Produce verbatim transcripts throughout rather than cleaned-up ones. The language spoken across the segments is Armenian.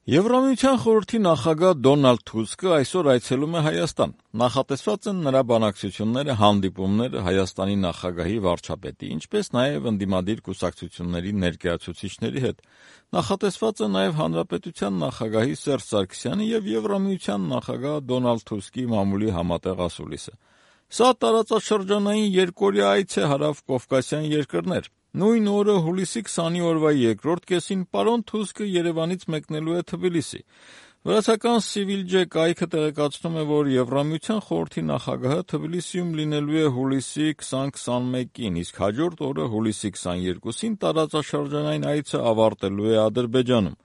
Եվրամիության խորհրդի նախագահ Դոնալդ Թուսկը այսօր այցելում է Հայաստան։ Նախատեսված են նրա բանակցությունները, հանդիպումները Հայաստանի նախագահի, վարչապետի, ինչպես նաև ընդդիմադիր կուսակցությունների ներկայացուցիչների հետ։ Նախատեսված է նաև Հանրապետության նախագահի Սերժ Սարգսյանի և Եվրամիության նախագահ Դոնալդ Թուսկի մամուլի համատեղ ասուլիսը։ Սա տարածաշրջանային երկօրյա այց է հարավ-կովկասյան երկրներ։ Նույն օրը հուլիսի քսանի օրվա երկրորդ կեսին պարոն Թուսկը Երևանից մեկնելու է Թբիլիսի։ Վրացական Civilj կայքը տեղեկացնում է, որ Եվրամիության խորհրդի նախագահը Թբիլիսիում լինելու է հուլիսի քսան-քսանմեկին, իսկ հաջորդ օրը հուլիսի քսաներկուսին տարածաշրջանային այցը ավարտելու է Ադրբեջանում։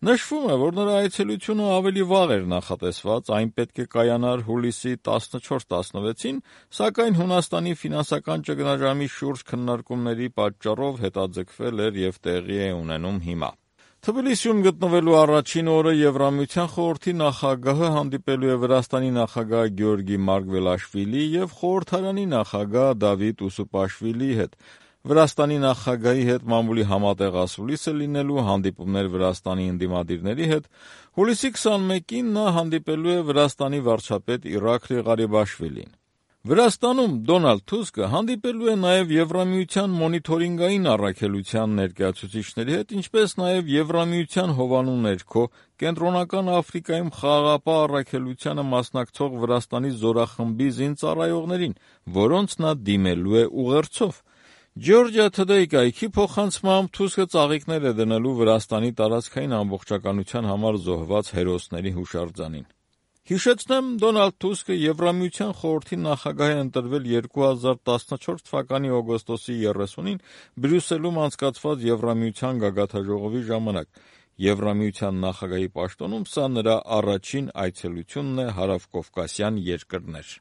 Նշվում է, որ նրա այցելությունը ավելի վաղ էր նախատեսված, այն պետք է կայանար հուլիսի տասնչորս-տասնվեցին, սակայն Հունաստանի ֆինանսական ճգնաժամի շուրջ քննարկումների պատճառով հետաձգվել էր և տեղի է ունենում հիմա։ Թբիլիսիում գտնվելու առաջին օրը Եվրամիության խորհրդի նախագահը հանդիպելու է Վրաստանի նախագահ Գեորգի Մարգվելաշվիլիի և խորհրդարանի նախագահ Դավիթ Ուսուպաշվիլիի հետ։ Վրաստանի նախագահի հետ մամուլի համատեղ ասուլիսը լինելու, հանդիպումներ Վրաստանի ընդդիմադիրների հետ։ Հուլիսի քսանմեկին նա հանդիպելու է Վրաստանի վարչապետ Իռաքլի Ղարիբաշվիլիին։ Վրաստանում Դոնալդ Թուսկը հանդիպելու է նաև Եվրամիության մոնիթորինգային առաքելության ներկայացուցիչների հետ, ինչպես նաև Եվրամիության հովանու ներքո Կենտրոնական Աֆրիկայում խաղաղապահ առաքելությանը մասնակցող Վրաստանի զորախմբի զինծառայողներին, որոնց նա դիմելու է ուղերձով։ Georgia Today կայքի փոխանցմամբ Թուսկը ծաղիկներ է դնելու Վրաստանի տարածքային ամբողջականության համար զոհված հերոսների հուշարձանին։ Հիշեցնեմ, Դոնալդ Թուսկը Եվրամիության խորհրդի նախագահ է ընտրվել երկու հազար տասնչորս թվականի օգոստոսի երեսունին Բրյուսելում անցկացված Եվրամիության գագաթնաժողովի ժամանակ։ Եվրամիության նախագահի պաշտոնում սա նրա առաջին այցելությունն է հարավ-կովկասյան երկրներ։